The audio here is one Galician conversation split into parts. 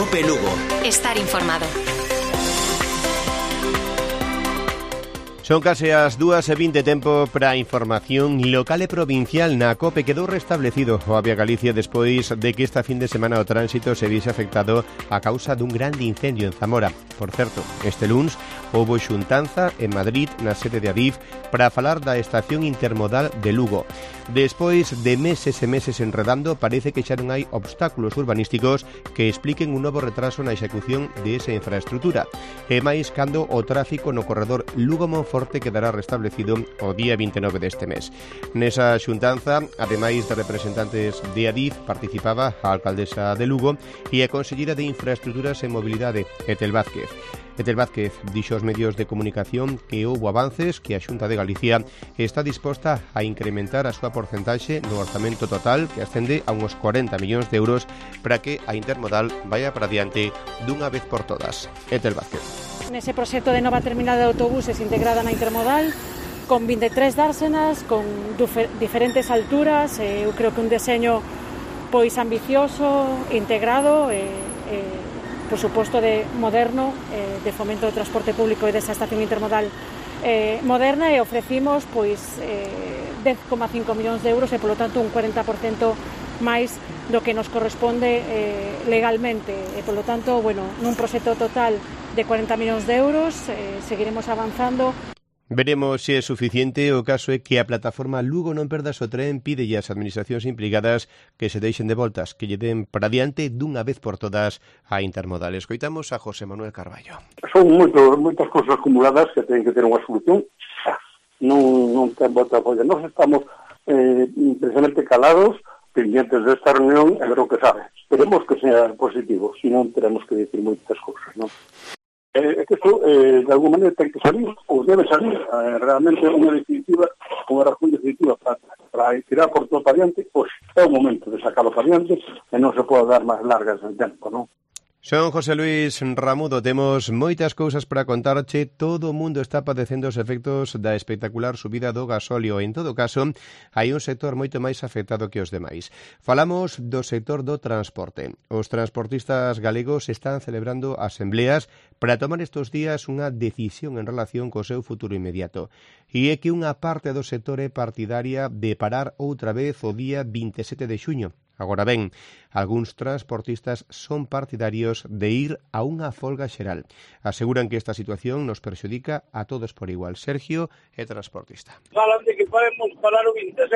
COPE Lugo. Estar informado. Son case as 2:20, tempo para a información local e provincial. Na COPE quedou restablecido o Avia Galicia despois de que esta fin de semana o tránsito se vise afectado a causa dun grande incendio en Zamora. Por certo, este luns houbo xuntanza en Madrid, na sede de Adif, para falar da estación intermodal de Lugo. Despois de meses e meses enredando, parece que xa non hai obstáculos urbanísticos que expliquen un novo retraso na execución de esa infraestrutura. E máis cando o tráfico no corredor Lugo-Monforte quedará restablecido o día 29 deste mes. Nesa xuntanza, ademais de representantes de Adif, participaba a alcaldesa de Lugo e a consellera de Infraestructuras e Mobilidade, Etel Vázquez. Etel Vázquez dixo aos medios de comunicación que houbo avances, que a Xunta de Galicia está disposta a incrementar a súa porcentaxe no orzamento total, que ascende a uns 40 millóns de euros, para que a intermodal vaya para diante dunha vez por todas. Etel Vázquez. Nese proxecto de nova terminal de autobuses integrada na intermodal, con 23 dársenas, con diferentes alturas, eu creo que un deseño pois ambicioso, integrado, por suposto de moderno, de fomento do transporte público e desa estación intermodal moderna, e ofrecimos pois 10,5 millóns de euros e polo tanto un 40% máis do que nos corresponde legalmente, e polo tanto, bueno, nun proxecto total de 40 millóns de euros, seguiremos avanzando. Veremos se é suficiente. O caso é que a plataforma Lugo non perdas o tren pide ás administracións implicadas que se deixen de voltas, que lle den para diante dunha vez por todas a intermodal. Escoitamos a José Manuel Carballo. Son moitas cousas acumuladas que teñen que ter unha solución. Non ten volta a polla. Nós estamos precisamente calados, pendientes desta reunión, e ver o que sabe. Esperemos que sea positivo, senón teremos que decir moitas cousas, non? Que isto, de alguma maneira, ten que salir, ou debe salir, realmente unha razón definitiva para tirar por todo para diante, pois é o momento de sacarlo para diante e non se pode dar máis largas en tempo, non? Son José Luis Ramudo, temos moitas cousas para contarche. Todo o mundo está padecendo os efectos da espectacular subida do gasóleo. En todo caso, hai un sector moito máis afectado que os demais. Falamos do sector do transporte. Os transportistas galegos están celebrando asembleas para tomar estes días unha decisión en relación co seu futuro inmediato. E é que unha parte do sector é partidaria de parar outra vez o día 27 de xuño. Agora ben, algúns transportistas son partidarios de ir a unha folga xeral. Aseguran que esta situación nos perxudica a todos por igual. Sergio é transportista. Falan de que podemos parar o 27.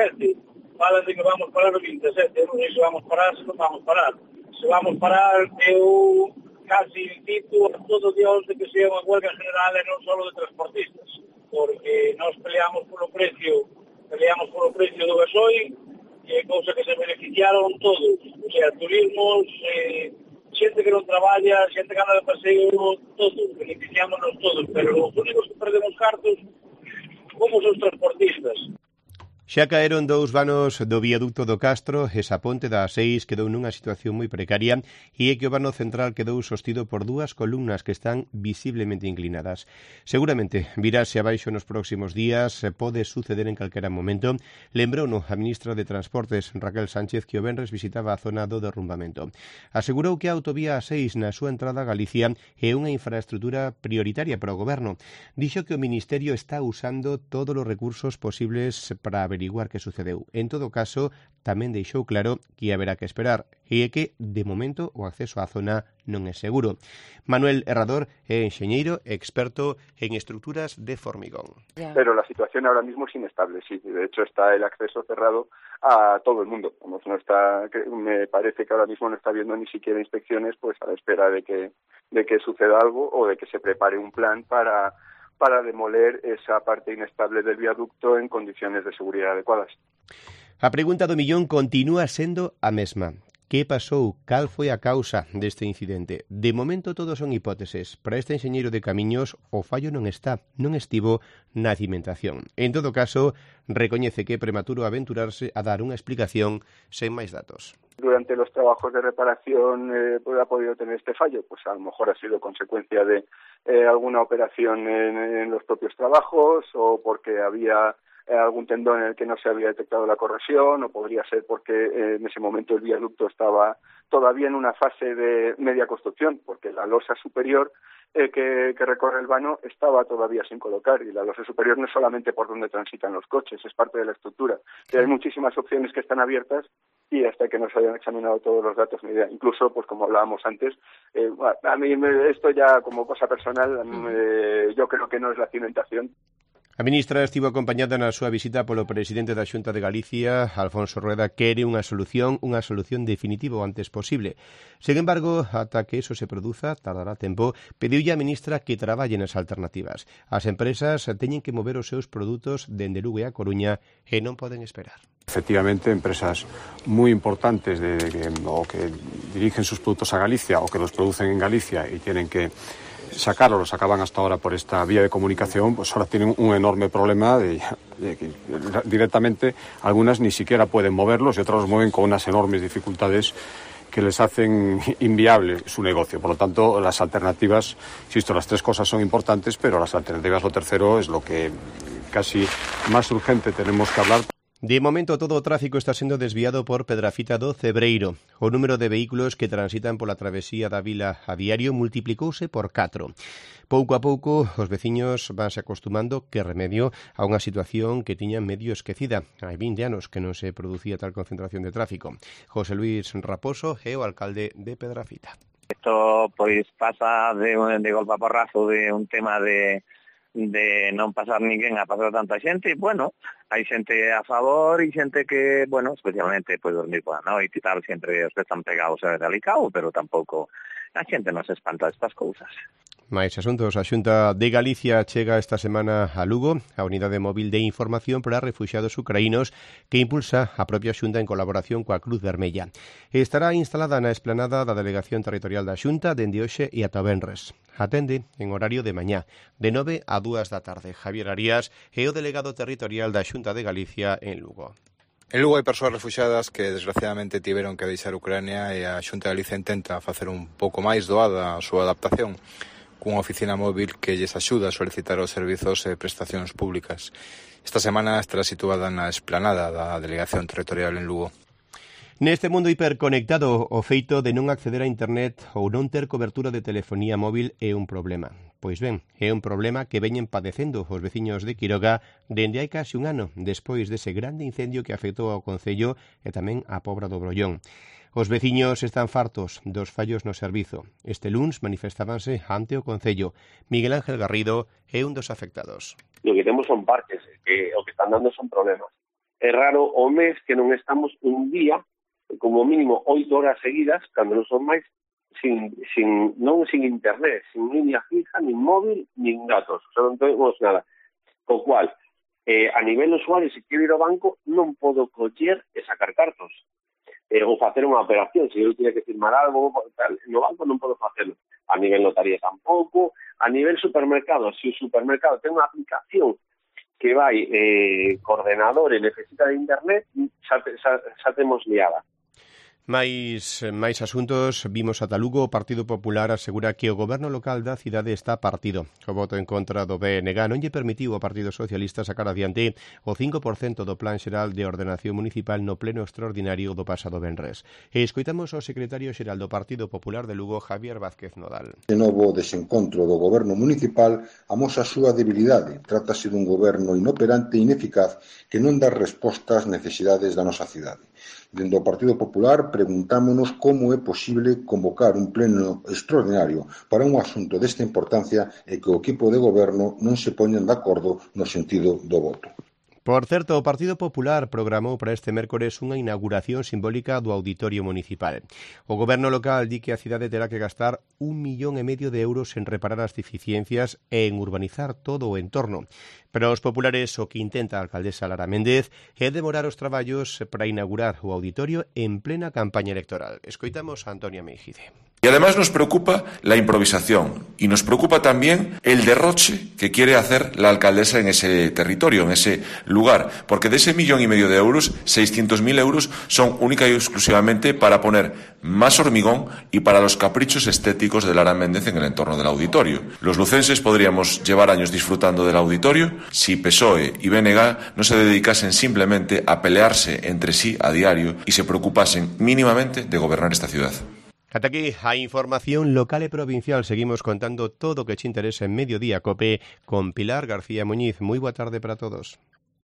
Falan de que vamos parar o 27. Non sei se vamos parar, se non vamos parar. Se vamos parar, eu casi incito a todos Dios de que sea unha huelga general e non só de transportistas. Porque nós peleamos polo precio do gasoil, cousa que se beneficiaron todos, o sea, turismos, xente que non traballa, xente que anda de paseo, todos, beneficiámonos todos, pero os únicos que perdemos cartos como os transportistas. Xa caeron 2 vanos do viaducto do Castro, esa ponte da A6 quedou nunha situación moi precaria e é que o vano central quedou sostido por 2 columnas que están visiblemente inclinadas. Seguramente virase abaixo nos próximos días, pode suceder en calquera momento. Lembrouno a ministra de Transportes, Raquel Sánchez, que o venres visitaba a zona do derrumbamento. Asegurou que a autovía A6 na súa entrada a Galicia é unha infraestrutura prioritaria para o goberno. Dixo que o Ministerio está usando todos os recursos posibles para averiguar que sucedeu. En todo caso, tamén deixou claro que haberá que esperar e é que, de momento, o acceso á zona non é seguro. Manuel Herrador é enxeñeiro experto en estructuras de formigón. Pero la situación ahora mismo es inestable, sí. De hecho, está el acceso cerrado a todo el mundo. Como no está, me parece que ahora mismo no está habiendo ni siquiera inspecciones, pues a la espera de que suceda algo o de que se prepare un plan para demoler esa parte inestable del viaducto en condiciones de seguridad adecuadas. A pregunta do millón continúa sendo a mesma. Que pasou? Cal foi a causa deste incidente? De momento todos son hipóteses. Para este enxeñeiro de camiños, o fallo non estivo na cimentación. En todo caso, recoñece que é prematuro aventurarse a dar unha explicación sen máis datos. Durante los trabajos de reparación ha podido tener este fallo, pues a lo mejor ha sido consecuencia de alguna operación en los propios trabajos o porque había algún tendón en el que no se había detectado la corrosión, o podría ser porque en ese momento el viaducto estaba todavía en una fase de media construcción, porque la losa superior que recorre el vano estaba todavía sin colocar, y la losa superior no es solamente por donde transitan los coches, es parte de la estructura. Y hay muchísimas opciones que están abiertas, y hasta que no se hayan examinado todos los datos, ni idea. Incluso, pues como hablábamos antes, a mí esto ya como cosa personal, yo creo que no es la cimentación. A ministra estivo acompañada na súa visita polo presidente da Xunta de Galicia, Alfonso Rueda, quere unha solución definitiva o antes posible. Sen embargo, ata que eso se produza, tardará tempo, pediulle a ministra que traballe nas alternativas. As empresas teñen que mover os seus produtos dende Lugo e a Coruña e non poden esperar. Efectivamente, empresas muy importantes o que dirigen sus productos a Galicia o que los producen en Galicia y tienen que sacarlo, lo sacaban hasta ahora por esta vía de comunicación, pues ahora tienen un enorme problema de que directamente algunas ni siquiera pueden moverlos y otras los mueven con unas enormes dificultades que les hacen inviable su negocio. Por lo tanto, las alternativas, insisto, las tres cosas son importantes, pero las alternativas, lo tercero, es lo que casi más urgente tenemos que hablar. De momento, todo o tráfico está sendo desviado por Pedrafita do Cebreiro. O número de vehículos que transitan pola travesía da vila a diario multiplicouse por 4. Pouco a pouco, os veciños vanse acostumando, que remedio, a unha situación que tiñan medio esquecida. Hai 20 anos que non se producía tal concentración de tráfico. José Luis Raposo é o alcalde de Pedrafita. Isto pois pasa de golpe a porrazo de un tema de non pasar ninguén a pasar tanta xente, e, bueno, hai xente a favor e xente que, bueno, especialmente pois dormir pola noite e tal, sempre os que están pegados a delicado, pero tampouco a xente non se espanta destas cousas. Mais asuntos, a Xunta de Galicia chega esta semana a Lugo, a Unidade Móvil de Información para Refuxiados Ucraínos que impulsa a propia Xunta en colaboración coa Cruz Vermella. Estará instalada na esplanada da Delegación Territorial da Xunta dende hoxe e ata o venres. Atende en horario de mañá, de 9 a 2 da tarde. Javier Arías é o delegado territorial da Xunta de Galicia en Lugo. En Lugo hai persoas refuxiadas que desgraciadamente tiveron que deixar Ucrania e a Xunta de Galicia intenta facer un pouco máis doada a súa adaptación cunha oficina móvil que lles axuda a solicitar os servizos e prestacións públicas. Esta semana estará situada na esplanada da Delegación Territorial en Lugo. Neste mundo hiperconectado, o feito de non acceder a internet ou non ter cobertura de telefonía móvil é un problema. Pois ben, é un problema que veñen padecendo os veciños de Quiroga dende hai case un ano, despois dese grande incendio que afectou ao concello e tamén á Pobra do Brollón. Os veciños están fartos dos fallos no servizo. Este luns manifestábanse ante o concello. Miguel Ángel Garrido é un dos afectados. Lo que temos son parques, que o que están dando son problemas. É raro o mes que non estamos un día, como mínimo 8 horas seguidas, cando non son máis, sin internet, sin línea fija, nin móvil, nin datos. O sea, non temos nada. Co cual, a nivel usuario, se quero ir ao banco, non podo coller e sacar cartos. Ou facer unha operación, se eu tiver que firmar algo, tal, no banco non podo facelo. A nivel notaría tampouco. A nivel supermercado, se o supermercado ten unha aplicación que vai coordenador e necesita de internet, xa temos liada. Mais asuntos, vimos ata Lugo, o Partido Popular asegura que o goberno local da cidade está partido. O voto en contra do BNG non lle permitiu ao Partido Socialista sacar adiante o 5% do Plan Xeral de Ordenación Municipal no pleno extraordinario do pasado venres. E escoitamos ao secretario xeral do Partido Popular de Lugo, Javier Vázquez Nodal. De novo desencontro do goberno municipal amosa a súa debilidade. Trátase dun goberno inoperante e ineficaz que non dá resposta ás necesidades da nosa cidade. Dende o Partido Popular preguntámonos como é posible convocar un pleno extraordinario para un asunto desta importancia e que o equipo de goberno non se poñan de acordo no sentido do voto. Por certo, o Partido Popular programou para este mércores unha inauguración simbólica do Auditorio Municipal. O goberno local di que a cidade terá que gastar 1,5 millón de euros en reparar as deficiencias e en urbanizar todo o entorno. Pero os populares o que intenta a alcaldesa Lara Méndez é demorar os traballos para inaugurar o auditorio en plena campaña electoral. Escoitamos a Antonia Meijide. Y además nos preocupa la improvisación y nos preocupa también el derroche que quiere hacer la alcaldesa en ese territorio, en ese lugar, porque de ese 1,5 millones de euros, 600.000 euros son única y exclusivamente para poner más hormigón y para los caprichos estéticos de Lara Méndez en el entorno del auditorio. Los lucenses podríamos llevar años disfrutando del auditorio si PSOE y BNG no se dedicasen simplemente a pelearse entre sí a diario y se preocupasen mínimamente de gobernar esta ciudad. Ata aquí a información local e provincial. Seguimos contando todo o que te interesa en Mediodía Cope con Pilar García Muñiz. Moi boa tarde para todos.